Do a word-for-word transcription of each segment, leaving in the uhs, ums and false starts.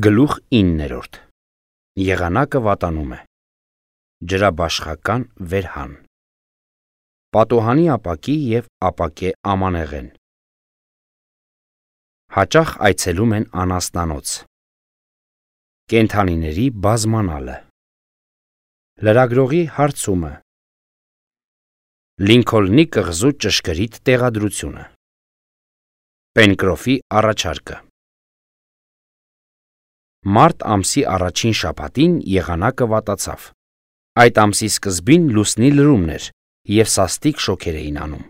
Գլուխ իններորդ Եղանակը վատանում է։ Ջրաբաշխական վերհան։ Պատոհանի ապակի և ապակե ամանեղեն։ Հաճախ այցելում են անասնանոց։ Կենդանիների բազմանալը։ Լրագրողի հարցումը։ Լինքոլնի կղզու ճշգրիտ տեղադրությունը։ Պենկրոֆի առաջարկը։ Մարտ ամսի առաջին շաբաթին եղանակը վատացավ։ Այդ ամսի սկզբին լուսնի լրումն էր, և սաստիկ շոգեր էին անում։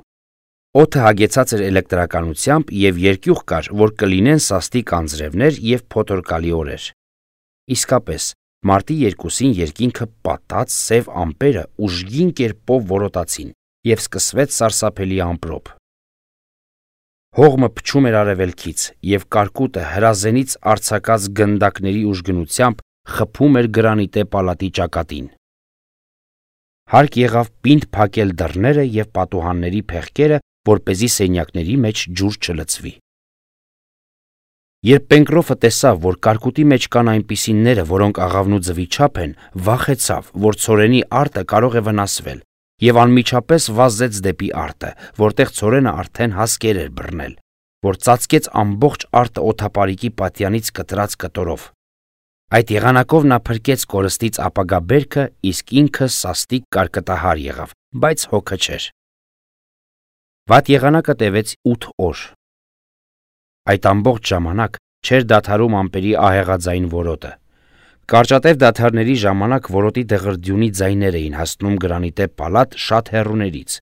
Օդը հագեցած էր էլեկտրականությամբ և երկյուղ կար, որ կլինեն սաստիկ անձրևներ և փոթորկալի օրեր։ Իսկապես, մարտի երկուսին երկինքը պատած սև ամպերը ուժգին կերպով որոտացին, և սկսվեց սարսափելի ամպրոպ։ Հողմը փչում էր արևելքից, և կարկուտը հրազենից արձակած գնդակների ուժգնությամբ խփում էր գրանիտե պալատի ճակատին։ Հարկ եղավ պինդ փակել դռները և պատուհանների փեղկերը, որպեսզի սենյակների մեջ ջուր չլցվի։ Երբ Պենկրոֆը տեսավ, որ կարկուտի մեջ կան այնպիսիները, որոնք աղավնու ձվի չափ են, վախեցավ, որ ցորենի արտը կարող է վնասվել, և անմիջապես վազեց դեպի արտը, որտեղ ցորենը արդեն հասկեր էր բռնել, որ ծածկեց ամբողջ արտը օդապարիկի պատյանից կտրած կտորով։ Այդ եղանակով նա փրկեց կորստից ապագա բերքը, իսկ ինքը սաստիկ կարկտահար եղավ, բայց հոգը չէր։ Վատ եղանակը տևեց ութ օր։ Այդ ամբողջ ժամանակ չէր դադարում ամպերի ահեղաձայն որոտը։ Կարճատև դադարների ժամանակ որոտի դղրդյունի ձայներ էին հասնում գրանիտե պալատ շատ հեռուներից,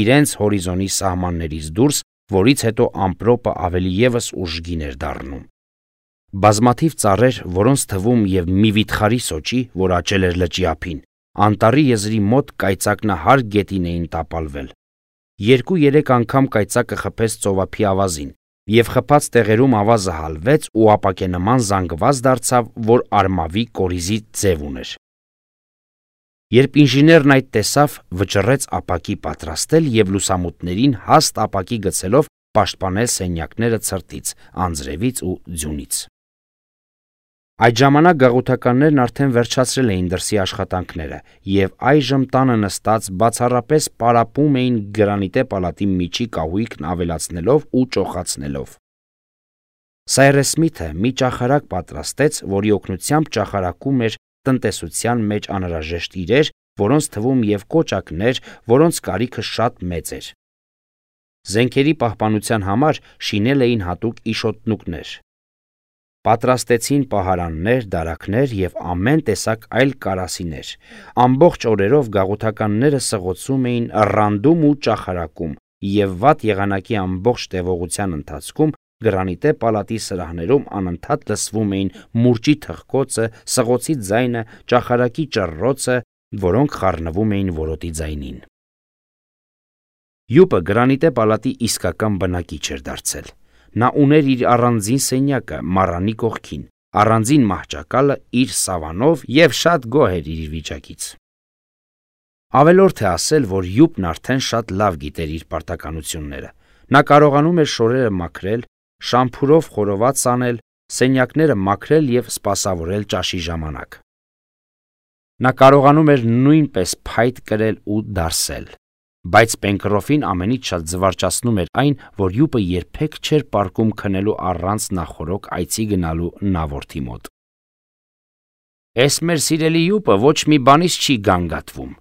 իրենց հորիզոնի սահմաններից դուրս, որից հետո ամպրոպը ավելի ևս ուժգին էր դառնում։ Բազմաթիվ ծառեր, որոնց թվում և մի վիթխարի սոճի, որ աճել էր լճի ափին, անտառի եզրի մոտ կայծակնահար գետին էին տապալվել։ Երկու-երեք անգամ կայծակը խփեց ծովափի ավազին, և խփած տեղերում ավազը հալվեց ու ապակենման զանգված դարձավ, որ արմավի կորիզի ձև ուներ։ Երբ ինժեներն այդ տեսավ, վճռեց ապակի պատրաստել և լուսամուտներին հաստ ապակի գցելով պաշտպանել սենյակները ցրտից, անձրևից ու ձյունից։ Այդ ժամանակ գաղութականներն արդեն վերջացրել էին դրսի աշխատանքները և այժմ տանը նստած բացառապես պարապում էին գրանիտե պալատի միջի կահույքն ավելացնելով ու ճոխացնելով։ Սայրես Սմիթը մի ճախարակ պատրաստեց, որի օգնությամբ ճախարակում էր տնտեսության մեջ անհրաժեշտ իրեր, որոնց թվում և կոճակներ, որոնց կարիքը շատ մեծ էր։ Զենքերի պահպանության համար շինել էին հատուկ իշոտնուկներ։ Պատրաստեցին պահարաններ, դարակներ և ամեն տեսակ այլ կարասիներ։ Ամբողջ օրերով գաղութականները սղոցում էին, ռանդում ու ճախարակում, և վատ եղանակի ամբողջ տևողության ընթացքում գրանիտե պալատի սրահներում անընդհատ լսվում էին մուրճի թխկոցը, սղոցի ձայնը, ճախարակի ճռռոցը, որոնք խառնվում էին որոտի ձայնին։ Յուպը գրանիտե պալատի իսկական բնակիչ էր դարձել։ Նա ուներ իր առանձին սենյակը մառանի կողքին, առանձին մահճակալը իր սավանով և շատ գոհ էր իր վիճակից։ Ավելորդ է ասել, որ Յուպն արդեն շատ լավ գիտեր իր պարտականությունները։ Նա կարողանում էր շորերը մաքրել, շամփուրով խորոված անել, սենյակները մաքրել և սպասավորել ճաշի ժամանակ։ Նա կարողանում էր նույնպես փայտ կրել ու դարսել։ Բայց Պենկրոֆին ամենից շատ զվարճացնում էր այն, որ Յուպը երբեք չէր պառկում քնելու առանց նախօրոք այցի գնալու նավորդի մոտ։ «Էս մեր սիրելի Յուպը ոչ մի բանից չի գանգատվում,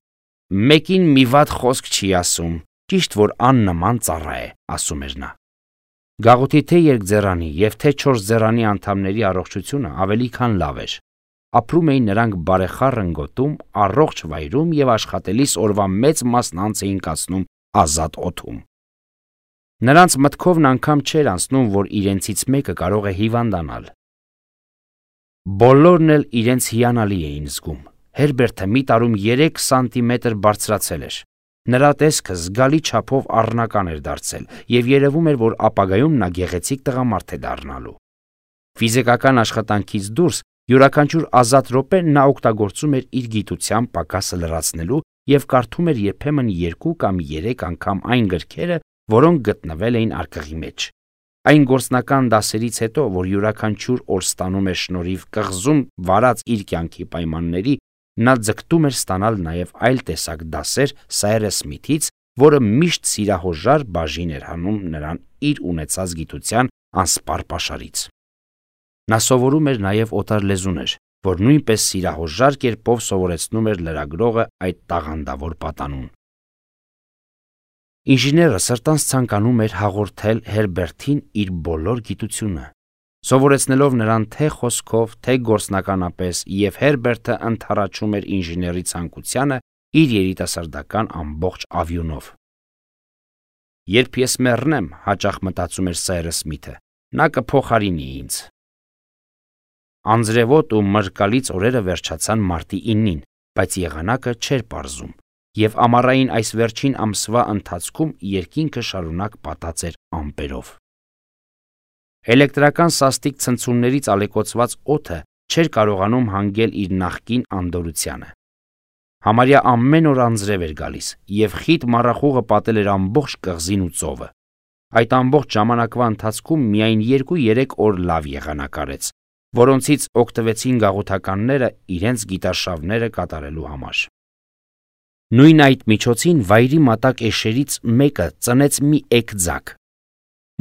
մեկին մի վատ խոսք չի ասում, ճիշտ որ աննման ծառա է», ասում էր նա։ Գաղութի թե երկձեռանի և թե չորսձեռանի անդամների առողջությունը ավելի քան լավ էր։ Ապրում էին նրանք բարեխառն գոտում, առողջ վայրում և աշխատելիս օրվա մեծ մասն անց էին կացնում ազատ օդում։ Նրանց մտքովն անգամ չէր անցնում, որ իրենցից մեկը կարող է հիվանդանալ։ Բոլորն էլ իրենց հիանալի էին զգում։ Հերբերտը մի տարում երեք սանտիմետր բարձրացել էր։ Նրա տեսքը զգալի չափով առնական էր դարձել, և երևում էր, որ ապագայում նա գեղեցիկ տղամարդ է դառնալու։ Ֆիզիկական աշխատանքից դուրս յուրաքանչյուր ազատ րոպե նա օգտագործում էր իր գիտության պակասը լրացնելու և կարդում էր երբեմն երկու կամ երեք անգամ այն գրքերը, որոնք գտնվել էին արկղի մեջ։ Այն գործնական դասերից հետո, որ յուրաքանչյուր օր ստանում էր շնորհիվ կղզում վարած իր կյանքի պայմանների, նա ձգտում էր ստանալ նաև այլ տեսակ դասեր Սայրես Սմիթից, որը միշտ սիրահորժար բաժին էր հանում նրան իր ունեցած գիտության անսպառ պաշարից։ Նա սովորում էր նաև օտար լեզուներ, որ նույնպես սիրահորժար կերպով սովորեցնում էր լրագրողը այդ տաղանդավոր պատանուն։ Ինժեները սրտանց ցանկանում էր հաղորդել Հերբերտին իր բոլոր գիտությունը, սովորեցնելով նրան թե խոսքով, թե գործնականապես, եւ Հերբերտը ընդառաջում էր ինժեների ցանկությանը իր երիտասարդական ամբողջ ավյունով։ Երբ ես մեռնեմ, հաճախ մտածում էր Սայրես Սմիթը, նա կփոխարինի ինձ։ Անձրևոտ ու մրկալից օրերը վերջացան մարտի իննին, բայց եղանակը չէր պարզում, եւ ամառային այս վերջին ամսվա ընթացքում երկինքը շարունակ պատած էր ամպերով։ Էլեկտրական սաստիկ ցնցումներից ալեկոծված օդը չէր կարողանում հանգել իր նախկին անդորությանը։ Համարյա ամեն օր անձրև էր գալիս, եւ խիտ մառախուղը պատել էր ամբողջ կղզին ու ծովը։ Այդ ամբողջ ժամանակվա ընթացքում միայն երկու-երեք օր լավ եղանակ արեց, որոնցից օգտվեցին գաղութականները իրենց գիտարշավները կատարելու համար։ Նույն այդ միջոցին վայրի մատակ էշերից մեկը ծնեց մի էգ-ձագ։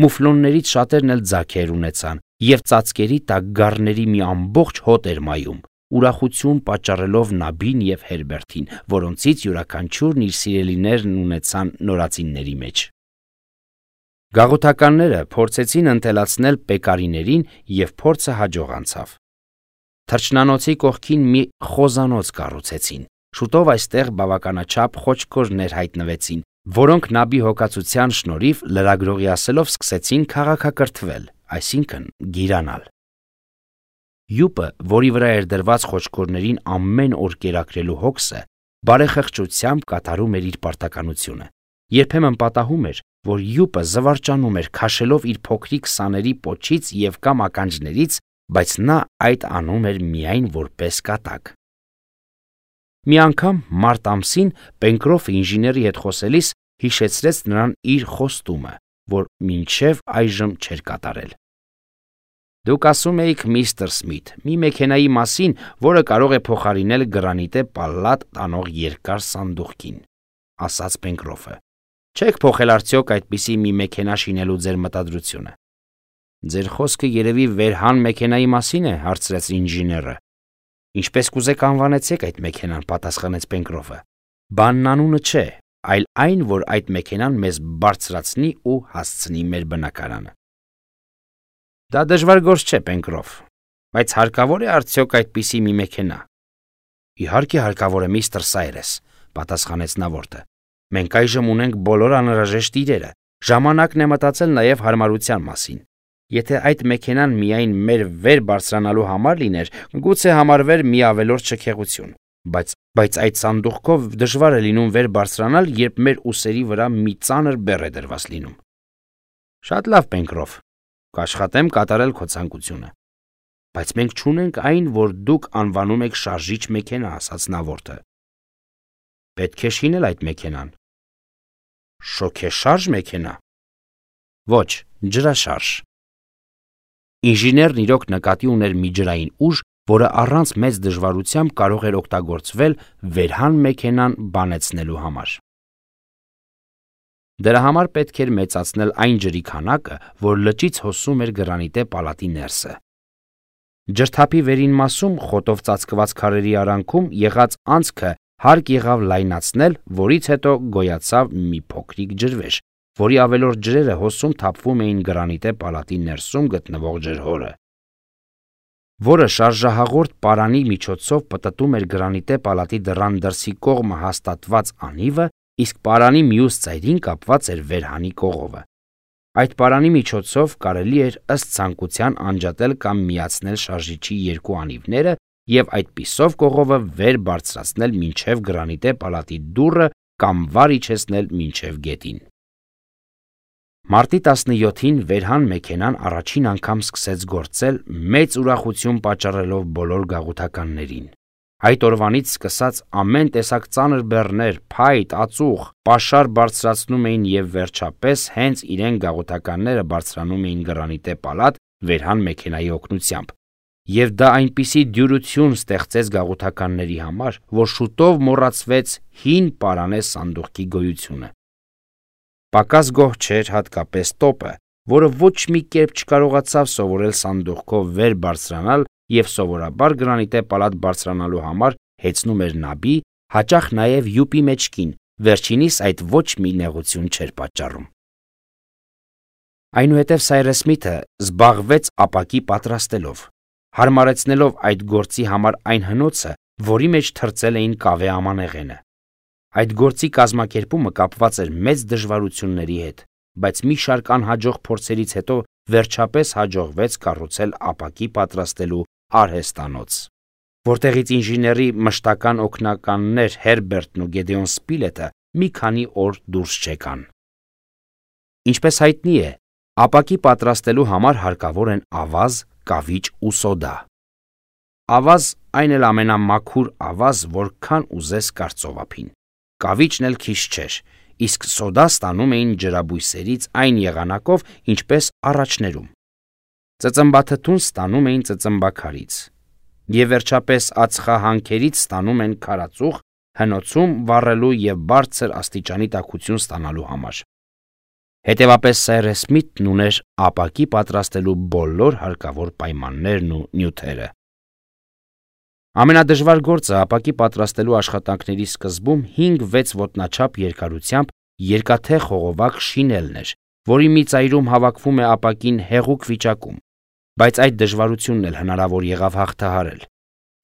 Մուֆլոններից շատերն էլ ձագեր ունեցան, եւ ծածկերի տակ գառների մի ամբողջ հոտ էր մայում, ուրախություն պատճառելով Նաբին եւ Հերբերտին, որոնցից յուրաքանչյուրն իր սիրելիներն ունեցան նորածինների մեջ։ Գաղութականները փորձեցին ընտելացնել պեկարիներին եւ փորձը հաջող անցավ։ Թռչնանոցի կողքին մի խոզանոց կառուցեցին։ Շուտով այստեղ բավականաչափ խոչքորներ հայտնվեցին, որոնք Նաբի հոգացության շնորհիվ լրագրողի ասելով սկսեցին քաղաքակրթվել, այսինքն գիրանալ։ Յուպը, որի վրա էր դրված խոչքորներին ամեն օր կերակրելու հոգսը, բարեխղճությամբ կատարում էր իր պարտականությունը։ Երբեմն պատահում էր, որ յուպը զվարճանում էր քաշելով իր փոքրիկ սաների պոչից եւ կամ ականջներից, բայց նա այդ անում էր միայն որպես կատակ։ Մի անգամ մարտ ամսին Պենկրոֆը ինժեների հետ խոսելիս հիշեցրեց նրան իր խոստումը, որ մինչև այժմ չէր կատարել։ Դուք ասում էիք, միստր Սմիթ, մի մեքենայի մասին, որը կարող է փոխարինել գրանիտե պալլատ տանող երկար սանդուղքին, ասաց Պենկրոֆը։ Չեք փոխել արդյոք այդպիսի մի մեքենա շինելու ձեր մտադրությունը։ Ձեր խոսքը երևի Վերհան մեքենայի մասին է, հարցրեց ինժեները։ Ինչպես կուզեք անվանեցեք այդ մեքենան, պատասխանեց Պենկրոֆը։ Բանն անունը չէ, այլ այն, որ այդ մեքենան մեզ բարձրացնի ու հասցնի մեր բնակարանը։ Դա դժվար գործ չէ, Պենկրոֆ, բայց հարկավոր է արդյոք այդպիսի մի մեքենա։ Իհարկե հարկավոր է, միստր Սայրես, պատասխանեց Նավորտը։ Մենք այժմ ունենք բոլոր անհրաժեշտ իրերը, ժամանակն է մտածել նաև հարմարության մասին։ Եթե այդ մեքենան միայն մեր վեր բարձրանալու համար լիներ, գուցե համարվեր մի ավելորդ շքեղություն, բայց բայց այդ սանդուղքով դժվար է լինում վեր բարձրանալ, երբ մեր ուսերի վրա մի ծանր բեռ է դրված լինում։ Շատ լավ, Պենկրոֆ, կաշխատեմ կատարել քո ցանկությունը։ Բայց մենք չունենք այն, որ դուք անվանում եք շարժիչ մեքենա, ասաց Նավորտը։ Պետք է շինել այդ մեքենան։ Շոքեշարժ մեքենա։ Ոչ, ջրաշարժ։ Ինժեներն իրոք նկատի ուներ մի ջրային ուժ, որը առանց մեծ դժվարությամբ կարող էր օգտագործվել Վերհան մեքենան բանեցնելու համար։ Դրա համար պետք էր մեծացնել այն ջրի քանակը, որ լճից հոսում էր գրանիտե պալատի ներսը։ Ջրթափի վերին մասում խոտով ծածկված քարերի արանքում եղած անցքը հարկ եղավ լայնացնել, որից հետո գոյացավ մի փոքրիկ ջրվեժ, որի ավելորդ ջրերը հոսում թափվում էին գրանիտե պալատի ներսում գտնվող ջրհորը, որը շարժահաղորդ պարանի միջոցով պտտում էր գրանիտե պալատի դռան դրսի կողմը հաստատված անիվը, իսկ պարանի մյուս ծայրին կապված էր Վերհանի կողովը։ Այդ պարանի միջոցով կարելի էր ըստ ցանկության անջատել կամ միացնել շարժիչի երկու անիվները եւ այդպիսով կողովը վեր բարձրացնել մինչև գրանիտե պալատի դուռը կամ վար իջեցնել մինչև գետին։ Մարտի տասնյոթին Վերհան մեքենան առաջին անգամ սկսեց գործել, մեծ ուրախություն պատճառելով բոլոր գաղութականներին։ Այդ օրվանից սկսած ամեն տեսակ ծանր բեռներ, փայտ, ածուխ, պաշար բարձրացնում էին եւ վերջապես հենց իրեն գաղութականները բարձրանում էին գրանիտե պալատ վերհան մեքենայի օգնությամբ։ Եվ դա այնպիսի դյուրություն ստեղծեց գաղութականների համար, որ շուտով մոռացվեց հին պարանե սանդուղքի գոյությունը։ Պակաս գոհ չէր հատկապես տոպը, որը ոչ մի կերպ չկարողացավ սովորել սանդուղքով վեր բարձրանալ եւ սովորաբար գրանիտե պալատ բարձրանալու համար հեծնում էր նաբի, հաճախ նաեւ յուպի մեջքին, վերջինիս այդ ոչ մի նեղություն չէր պատճառում։ Այնուհետև Սայրես Սմիթը զբաղվեց ապակի պատրաստելով, հարմարեցնելով այդ գործի համար այն հնոցը, որի մեջ թրծել էին կավե ամանեղենը։ Այդ գործի կազմակերպումը կապված էր մեծ դժվարությունների հետ, բայց մի շարք անհաջող փորձերից հետո վերջապես հաջողվեց կառուցել ապակի պատրաստելու արհեստանոց, որտեղից ինժեների մշտական օգնականներ Հերբերտն ու Գեդեոն Սպիլետը մի քանի օր դուրս չեկան։ Ինչպես հայտնի է, ապակի պատրաստելու համար հարկավոր են ավազ, կավիճ ու սոդա։ Ավազ այն էլ ամենամաքուր ավազ, որքան ուզես կարծովափին։ Կավիճն էլ քիչ չէր, իսկ սոդա ստանում էին ջրաբույսերից այն եղանակով, ինչպես առաջներում։ Ծծմբաթթուն ստանում էին ծծմբաքարից, եւ վերջապես ածխահանքերից ստանում են քարածուխ, հնոցում վառելու եւ բարձր աստիճանի տաքություն ստանալու համար։ Հետևապես Սայրես Սմիթն ուներ ապակի պատրաստելու բոլոր հարկավոր պայմաններն ու նյութերը։ Ամենադժվար գործը ապակի պատրաստելու աշխատանքների սկզբում հինգ-վեց ոտնաչափ երկարությամբ երկաթե խողովակ շինելն էր, որի մի ծայրում հավաքվում է ապակին հեղուկ վիճակում, բայց այդ դժվարությունն էլ հնարավոր եղավ հաղթահարել։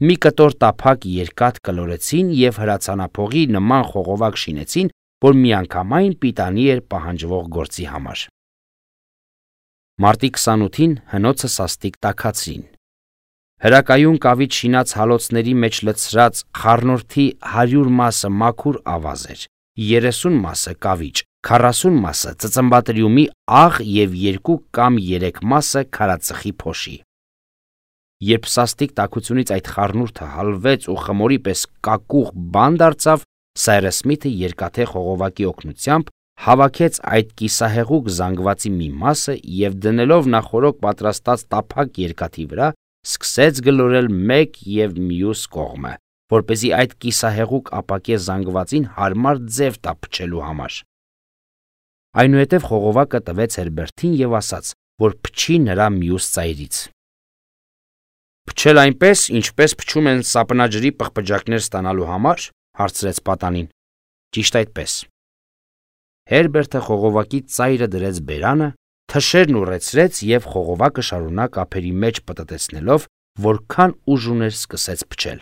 Մի կտոր տափակ երկաթ կլորեցին եւ հրացանափողի նման խողովակ շինեցին, որ միանգամայն պիտանի էր պահանջվող գործի համար։ Մարտի քսանութին հնոցը սաստիկ տաքացրին։ Հրակայուն կավիճ շինած հալոցների մեջ լցրած խառնուրդի հարյուր մասը մաքուր ավազ էր, երեսուն մասը կավիճ, քառասուն մասը ծծմբատրյումի աղ եւ երկու կամ երեք մասը քարածխի փոշի։ Երբ սաստիկ տաքությունից այդ խառնուրդը հալվեց ու խմորի պես կակուղ բան դարձավ, Սայրես Սմիթը երկաթե խողովակի օգնությամբ հավաքեց այդ կիսահեղուկ զանգվածի մի մասը եւ դնելով նախորոք պատրաստած տափակ երկաթի վրա, սկսեց գլորել մեկ եւ մյուս կողմը, որպեսզի այդ կիսահեղուկ ապակե զանգվածին հարմար ձև տա փչելու համար։ Այնուհետև խողովակը տվեց Հերբերտին եւ ասաց, որ փչի նրա մյուս ծայրից։ Փչել այնպես, ինչպես փչում են սապնաջրի պղպջակներ ստանալու համար, հարցրեց պատանին։ Ճիշտ այդպես։ Հերբերտը խողովակի ծայրը դրեց բերանը, թշերն ուռեցրեց եւ խողովակը շարունակ ափերի մեջ պտտեցնելով, որքան ուժ ուներ սկսեց փչել,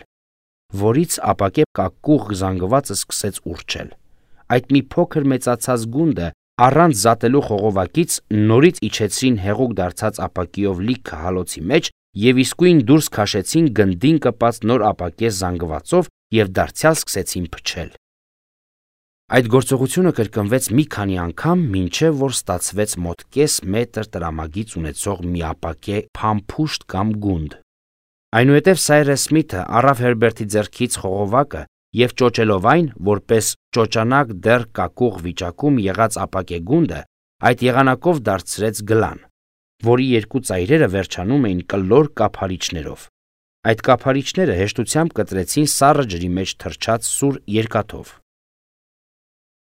որից ապակե կակուղ զանգվածը սկսեց ուռչել։ Այդ մի փոքր մեծացած գունդը առանց զատելու խողովակից նորից իջեցրին հեղուկ դարձած ապակիով լիքը հալոցի մեջ եւ իսկույն դուրս քաշեցին գնդին կպած նոր ապակե զանգվածով եւ դարձյալ սկսեցին փչել։ Այդ գործողությունը կրկնվեց մի քանի անգամ, մինչև որ ստացվեց մոտ կես մետր տրամագիծ ունեցող մի ապակե փամփուշտ կամ գունդ։ Այնուհետև Սայրես Սմիթը առավ Հերբերտի ձեռքից խողովակը եւ ճոճելով այն, որպես ճոճանակ դեռ կակուղ վիճակում եղած ապակե գունդը, այդ եղանակով դարձրեց գլան, որի երկու ծայրերը վերջանում էին կլոր կափարիչներով։ Այդ կափարիչները հեշտությամբ կտրեցին սառը ջրի մեջ թրջած սուր երկաթով։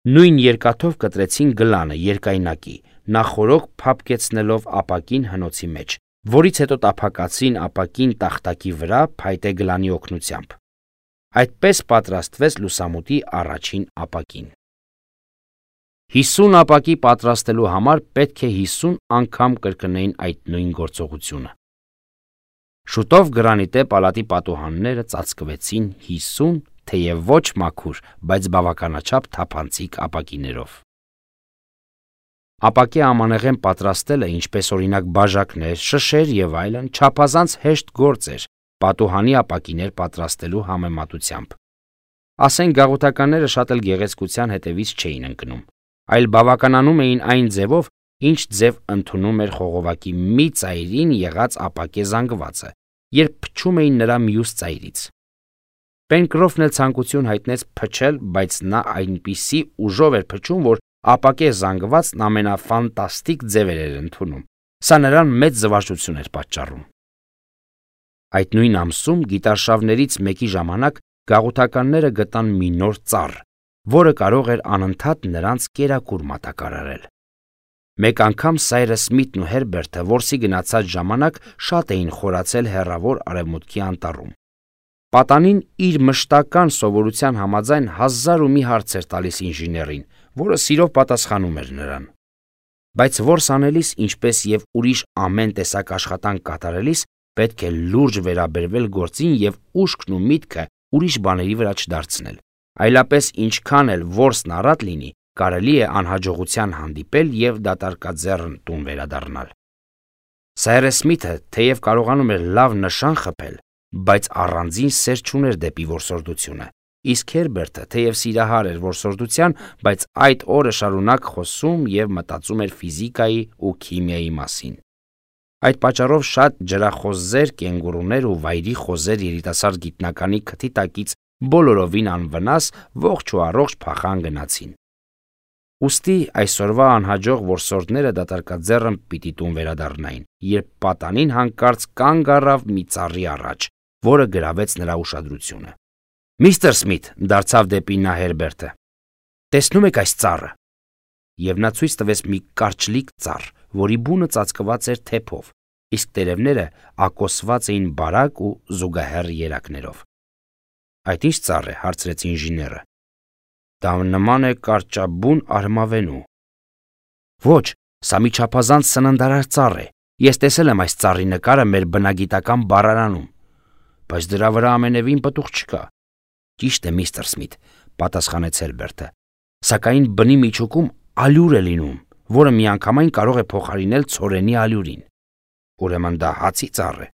Նույն երկաթով կտրեցին գլանը երկայնակի, նախորոք փափկեցնելով ապակին հնոցի մեջ, որից հետո տափակացրին ապակին տախտակի վրա փայտե գլանի օգնությամբ։ Այդպես պատրաստվեց լուսամուտի առաջին ապակին։ Հիսուն ապակի պատրաստելու համար պետք է հիսուն անգամ կրկնեին այդ նույն գործողությունը։ Շուտով գրանիտե պալատի պատուհանները ծածկվեցին հիսուն, թեև ոչ մաքուր, բայց բավականաչափ թափանցիկ ապակիներով։ Ապակե ամանեղեն պատրաստելը, ինչպես օրինակ բաժակներ, շշեր եւ այլն, չափազանց հեշտ գործ էր պատուհանի ապակիներ պատրաստելու համեմատությամբ։ Ասենք գաղութականները շատ էլ գեղեցկության հետևից չէին ընկնում, այլ բավականանում էին այն ձևով, ինչ ձև ընդունում էր խողովակի մի ծայրին եղած ապակե զանգվածը, երբ փչում էին նրա մյուս ծայրից։ Պենկրոֆն էլ ցանկություն հայտնեց փչել, բայց նա այնպիսի ուժով էր փչում, որ ապակե զանգվածն ամենաֆանտաստիկ ձևեր էր ընդունում։ Սա նրան մեծ զվարճություն էր պատճառում։ Այդ նույն ամսում գիտարշավներից մեկի ժամանակ գաղութականները գտան մի նոր ծառ, որը կարող էր անընդհատ նրանց կերակուր մատակարարել։ Մեկ անգամ Սայրս Սմիթն ու Հերբերտը որսի գնացած ժամանակ շատ էին խորացել հեռավոր արևմուտքի անտառում։ Պատանին իր մշտական սովորության համաձայն հազար ու մի հարց էր տալիս ինժեներին, որը սիրով պատասխանում էր նրան։ Բայց որս անելիս, ինչպես եւ ուրիշ ամեն տեսակ աշխատանք կատարելիս, պետք է լուրջ վերաբերվել գործին եւ ուշքն ու միտքը ուրիշ բաների վրա չդարձնել։ Այլապես ինչքան էլ որսն առատ լինի, կարելի է անհաջողության հանդիպել եւ դատարկաձեռն տուն վերադառնալ։ Սայրս Սմիթը թեև կարողանում էր լավ նշան խփել, բայց առանձին սեր չուներ դեպի որսորդությունը, իսկ Հերբերտը թեև սիրահար էր որսորդության, բայց այդ օրը շարունակ խոսում եւ մտածում էր ֆիզիկայի ու քիմիայի մասին։ Այդ պատճառով շատ ջրախոզեր, կենգուրուներ ու վայրի խոզեր երիտասարդ գիտնականի քթի տակից բոլորովին անվնաս ողջ ու առողջ փախան գնացին։ Ուստի այսօրվա անհաջող որսորդները դատարկաձեռն պիտի տուն վերադառնային, երբ պատանին հանկարծ կանգ առավ մի ծառի առաջ, որը գրավեց նրա ուշադրությունը։ «Միստր Սմիթ», դարձավ դեպի նա Հերբերտը, «տեսնում եք այս ծառը»։ Եվ նա ցույց տվեց մի կարճլիկ ծառ, որի բունը ծածկված էր թեփով, իսկ տերևները ակոսված էին բարակ ու զուգահեռ երակներով։ «Այդ ի՞նչ ծառ է», հարցրեց ինժեները։ «Դա նման է կարճաբուն արմավենու»։ «Ոչ, սա մի չափազանց սննդարար ծառ է։ Ես տեսել եմ այս ծառի նկարը մեր բնագիտական բառարանում, բայց դրա վրա ամենևին պտուղ չկա»։ «Ճիշտ է, միստր Սմիթ», պատասխանեց Հերբերտը, «սակայն բնի միջուկում ալյուր է լինում, որը միանգամայն կարող է փոխարինել ցորենի ալյուրին»։ «Ուրեմն դա հացի ծառ է»։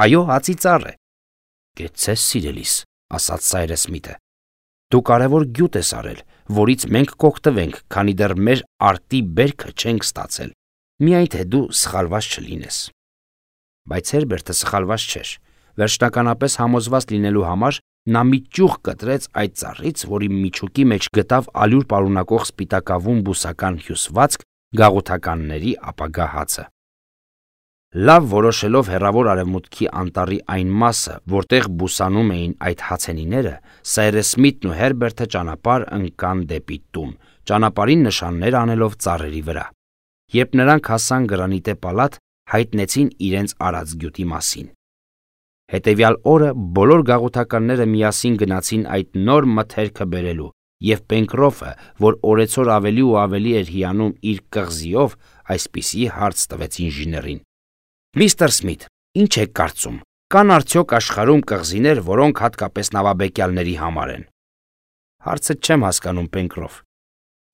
«Այո, հացի ծառ է»։ «Կեցցես, սիրելիս», ասաց Սայրս Սմիթը, «դու կարևոր գյուտ ես արել, որից մենք կօգտվենք, քանի դեռ մեր արտի բերքը չենք ստացել, միայն թե դու սխալված չլինես»։ Բայց Հերբերտը սխալված չէր։ Վերջնականապես համոզված լինելու համար նա մի ճյուղ կտրեց այդ ծառից, որի միջուկի մեջ գտավ ալյուր պարունակող սպիտակավուն բուսական հյուսվածք, գաղութականների ապագա հացը։ Լավ որոշելով հեռավոր արևմուտքի անտառի այն մասը, որտեղ բուսանում էին այդ հացենիները, Սայրս Սմիթն ու Հերբերտը ճանապարհ ընկան դեպի տուն, ճանապարհին նշաններ անելով ծառերի վրա։ Երբ նրանք հասան գրանիտե պալատ, հայտնեցին իրենց արած գյուտի մասին։ Հետևյալ օրը բոլոր գաղութականները միասին գնացին այդ նոր մթերքը բերելու, եւ Պենկրոֆը, որ օրեցօր ավելի ու ավելի էր հիանում իր կղզիով, այսպիսի հարց տվեց ինժեներին. «Միստր Սմիթ, ինչ եք կարծում, կան արդյոք աշխարհում կղզիներ, որոնք հատկապես նավաբեկյալների համար են»։ «Հարցը չեմ հասկանում, Պենկրոֆ։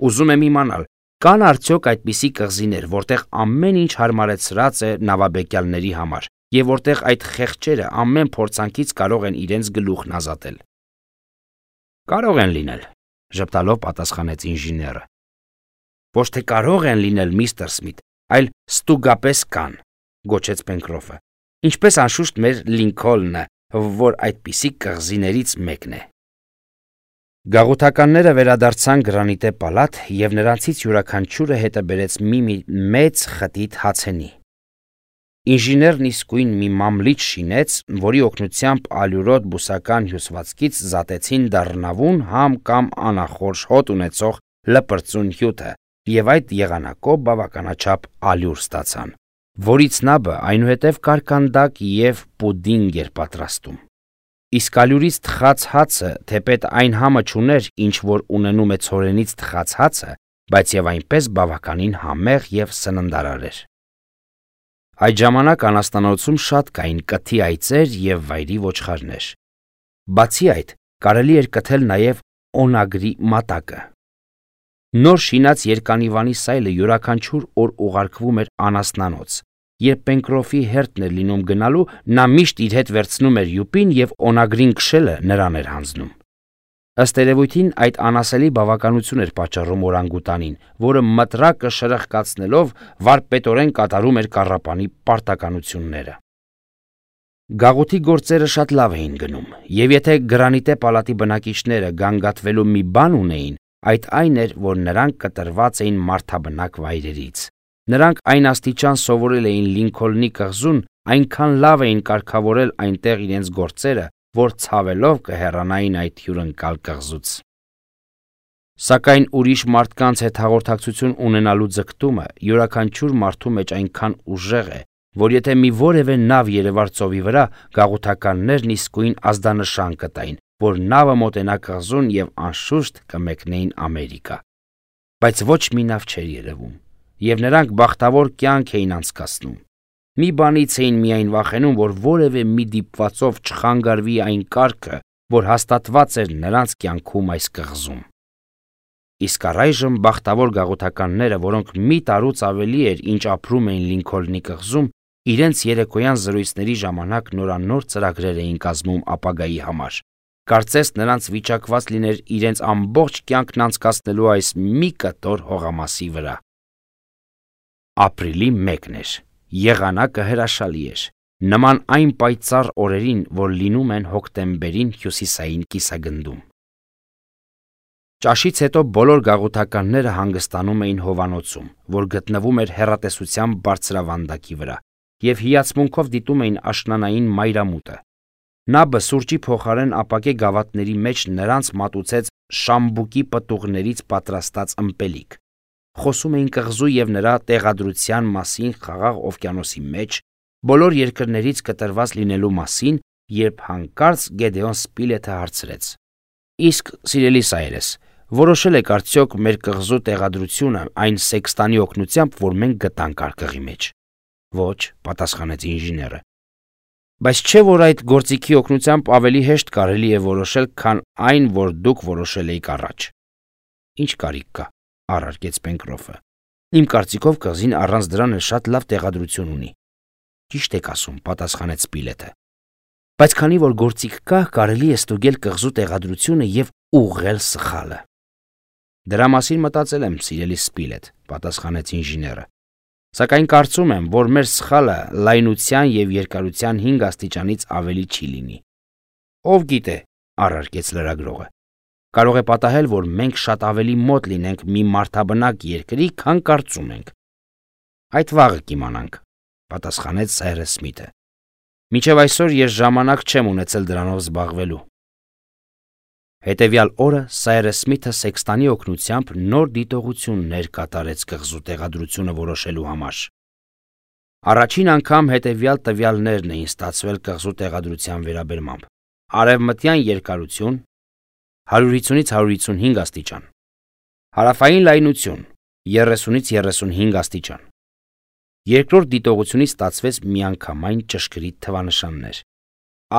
Ուզում եմ իմանալ, կան արդյոք այդպիսի կղզիներ, որտեղ ամեն ինչ հարմարեցրած է նավաբեկյալների համար, եւ որտեղ այդ խեղճերը ամեն փորձանքից կարող են իրենց գլուխն ազատել»։ «Կարող են լինել», ժպտալով պատասխանեց ինժեները։ «Ոչ թե կարող են լինել, միստր Սմիթ, այլ ստուգապես կան», գոչեց Պենկրոֆը, «ինչպես անշուշտ մեր Լինքոլնը, որ այդպիսի կղզիներից մեկն է»։ Գաղութականները վերադարձան գրանիտե պալատ, եւ նրանցից յուրաքանչյուրը հետը բերեց մի մեծ խտիտ հացենի։ Ինժեներն իսկույն մի մամլիչ շինեց, որի օգնությամբ ալյուրոտ բուսական հյուսվածքից զատեցին դառնավուն համ կամ անախորժ հոտ ունեցող լպրծուն հյութը, եւ այդ եղանակով բավականաչափ ալյուր ստացան, որից նաբը այնուհետև կարկանդակ եւ պուդինգ էր պատրաստում։ Իսկ ալյուրից թխած հացը, թեպետ այն համը չուներ, ինչ որ ունենում է ցորենից թխած հացը, բայց եւ այնպես բավականին համեղ եւ սննդարար էր։ Այդ ժամանակ անաստանոցում շատ կային կթի այծեր եւ վայրի ոչխարներ։ Բացի այդ, կարելի էր կթել նաեւ օնագրի մատակը։ Նոր շինած երկանիվանի սայլը յուրաքանչյուր օր ուղարկվում էր անասնանոց։ Երբ Պենկրոֆի հերթն էր լինում գնալու, նա միշտ իր հետ վերցնում էր յուպին եւ օնագրին քշելը նրան էր հանձնում։ Ըստ երևույթին այդ անասելի բավականություն էր պատճառում օրանգուտանին, որը մտրակը շրխկացնելով վարպետորեն կատարում էր կառապանի պարտականությունները։ Գաղութի գործերը շատ լավ էին գնում, եւ եթե Գրանիտե պալատի բնակիչները գանգատվելու մի բան ունեին, այդ այն էր, որ նրանք կտրված էին մարդաբնակ վայրերից։ Նրանք այն աստիճան սովորել էին Լինքոլնի կղզուն, այնքան լավ էին կարգավորել այնտեղ իրենց գործերը, որ ցավելով կհեռանային այդ հյուրընկալ կղզուց։ Սակայն ուրիշ մարդկանց հետ հաղորդակցություն ունենալու ձգտումը յուրաքանչյուր մարդու մեջ այնքան ուժեղ է, որ եթե մի որևէ նավ երևար ծովի վրա, գաղութականներն իսկույն ազդանշան կտային, որ նավը մոտենա կղզուն եւ անշուշտ կմեկնեին Ամերիկա։ Բայց ոչ մի նավ չէր երևում, եւ նրանք բախտավոր կյանք էին անցկացնում։ Մի բանից էին միայն վախենում, որ որևէ մի դիպվածով չխանգարվի այն կարգը, որ հաստատված էր նրանց կյանքում այս կղզում։ Իսկ առայժմ բախտավոր գաղութականները, որոնք մի տարուց ավելի էր, ինչ ապրում էին Լինքոլնի կղզում, իրենց երեկոյան զրույցների ժամանակ նորանոր ծրագրեր էին կազմում ապագայի համար։ Կարծես նրանց վիճակված լիներ իրենց ամբողջ կյանքն անցկացնելու այս մի կտոր հողամասի վրա։ Ապրիլի մեկն էր։ Եղանակը հրաշալի էր, նման այն պայծառ օրերին, որ լինում են հոկտեմբերին հյուսիսային կիսագնդում։ Ճաշից հետո բոլոր գաղութականները հանգստանում էին հովանոցում, որ գտնվում էր հեռատեսության բարձրավանդակի վրա, եւ հիացմունքով դիտում էին աշնանային մայրամուտը։ Նաբը սուրճի փոխարեն ապակե գավաթների մեջ նրանց մատուցեց շամբուկի պտուղներից պատրաստած ըմպելիք։ Խոսում էին կղզու եւ նրա տեղադրության մասին Խաղաղ օվկիանոսի մեջ, բոլոր երկրներից կտրված լինելու մասին, երբ հանկարծ Գեդեոն Սպիլեթը հարցրեց. «Իսկ, սիրելի Սայրես, որոշել եք արդյոք մեր կղզու տեղադրությունը այն սեքստանի օգնությամբ, որ մենք գտանք արկղի մեջ»։ «Ոչ», պատասխանեց ինժեները։ «Բայց չէ՞ որ այդ գործիքի օգնությամբ ավելի հեշտ կարելի է որոշել, քան այն, որ դուք որոշել էիք առաջ»։ «Ինչ կարիք կա», առարկեց Պենկրոֆը։ «Իմ կարծիքով կղզին առանց դրան էլ շատ լավ տեղադրություն ունի»։ «Ճիշտ եք ասում», պատասխանեց Սպիլեթը։ «Բայց քանի որ գործիք կա, կարելի է ստուգել կղզու տեղադրությունը եւ ուղղել սխալը»։ «Դրա մասին մտածել եմ, սիրելի Սպիլեթ», պատասխանեց ինժեները։ «Սակայն կարծում եմ, որ մեր սխալը լայնության եւ երկարության հինգ աստիճանից ավելի չի լինի»։ «Ով գիտե», առարկեց լրագրողը։ «Կարող է պատահել, որ մենք շատ ավելի մոտ լինենք մի մարդաբնակ երկրի, քան կարծում ենք»։ «Այդ վաղը կիմանանք», պատասխանեց Սայրս Սմիթը։ «Մինչև այսօր ես ժամանակ չեմ ունեցել դրանով զբաղվելու»։ Հետևյալ օրը Սայրս Սմիթը սեքստանի օգնությամբ նոր դիտողություններ կատարեց կղզու տեղադրությունը որոշելու համար։ Առաջին անգամ հետևյալ տվյալներն էին ստացվել կղզու տեղադրության վերաբերմամբ. արևմտյան երկարություն հարյուր հիսունից հարյուր հիսունհինգ աստիճան, հարավային լայնություն երեսունից երեսունհինգ աստիճան։ Երկրորդ դիտողությունից ստացվեց միանգամայն ճշգրիտ թվանշաններ.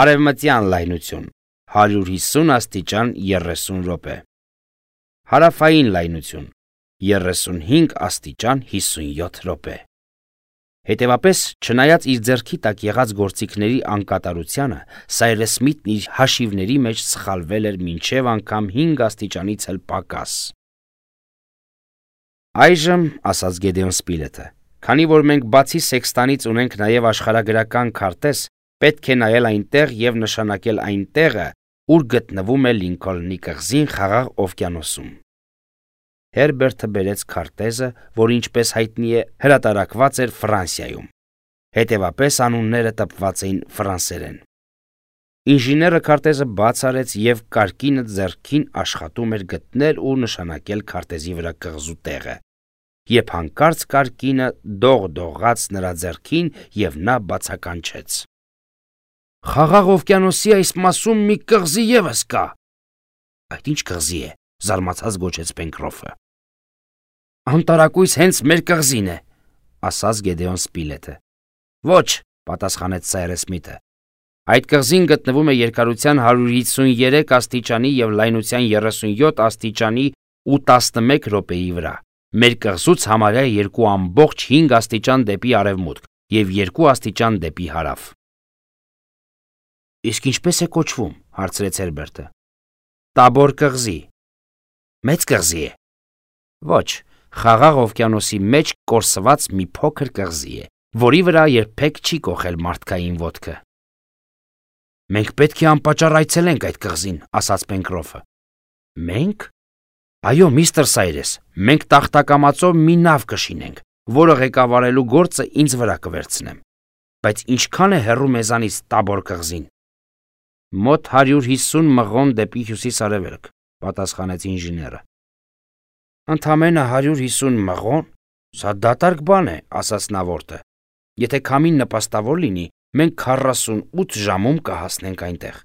արևմտյան լայնություն հարյուր հիսուն աստիճան երեսուն րոպե, հարավային լայնություն երեսունհինգ աստիճան հիսունյոթ րոպե։ Հետևապես, չնայած իր ձեռքի տակ եղած գործիքների անկատարությանը, Սայրս Սմիթն իր հաշիվների մեջ սխալվել էր մինչև անգամ հինգ աստիճանից էլ պակաս։ «Այժմ», ասաց Գեդեոն Սպիլեթը, «քանի որ մենք բացի սեքստանից ունենք նաև աշխարհագրական քարտեզ, պետք է նայել այնտեղ եւ նշանակել այն տեղը, ուր գտնվում է Լինքոլնի կղզին Խաղաղ օվկիանոսում»։ Հերբերտը բերեց քարտեզը, որ ինչպես հայտնի է, հրատարակված էր Ֆրանսիայում։ Հետևապես անունները տպված էին ֆրանսերեն։ Ինժեները քարտեզը բաց արեց եւ կարկինը ձեռքին աշխատում էր գտնել ու նշանակել քարտեզի վրա կղզու տեղը, երբ հանկարծ կարկինը դողդողաց նրա ձեռքին եւ նա բացականչեց. «Խաղաղ օվկիանոսի այս մասում մի կղզի եւս կա»։ «Այդ ինչ կղզի է», զարմացած գոչեց Պենկրոֆը։ «Անտարակույս հենց մեր կղզին է», ասաց Գեդեոն Սպիլեթը։ «Ոչ», պատասխանեց Սայրս Սմիթը։ «Այդ կղզին գտնվում է երկարության հարյուր հիսուներեք աստիճանի եւ լայնության երեսունյոթ աստիճանի ու տասնմեկ րոպեի վրա։ Մեր կղզուց համարյա երկու ամբողջ հինգ աստիճան դեպի արևմուտք եւ երկու աստիճան դեպի հարավ»։ «Իսկ ինչպես է կոչվում», հարցրեց Հերբերտը։ «Տաբոր կղզի»։ «Մեծ կղզի է»։ «Ոչ, Խաղաղ օվկիանոսի մեջ կորսված մի փոքր կղզի է, որի վրա երբեք չի կոխել մարդկային ոտքը»։ Մենք պետք է անպատճառ այցելենք այդ կղզին, ասաց Պենկրոֆը։ Մենք։ Այո, միստր Սայրես, մենք տախտակամածով մի նավ կշինենք, որը ղեկավարելու գործը ինձ վրա կվերցնեմ։ Բայց ինչքան է հեռու մեզանից Տաբոր կղզին։ Մոտ հարյուր հիսուն մղոն դեպի հյուսիս-արևելք, պատասխանեց ինժեները։ Ընդամենը հարյուր հիսուն մղոն, սա դատարկ բան է, ասաց նավորդը։ Եթե քամին նպաստավոր լինի, մենք քառասունութ ժամում կհասնենք այնտեղ։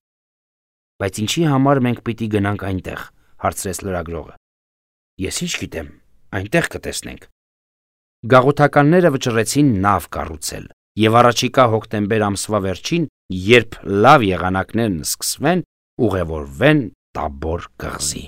Բայց ինչի համար մենք պիտի գնանք այնտեղ, հարցրեց լրագրողը։ Ես ինչ գիտեմ, այնտեղ կտեսնենք։ Գաղութականները վճռեցին նավ կառուցել, եւ առաջիկա հոկտեմբեր ամսվա վերջին, երբ լավ եղանակներն սկսվեն, ուղևորվեն Տաբոր կղզի։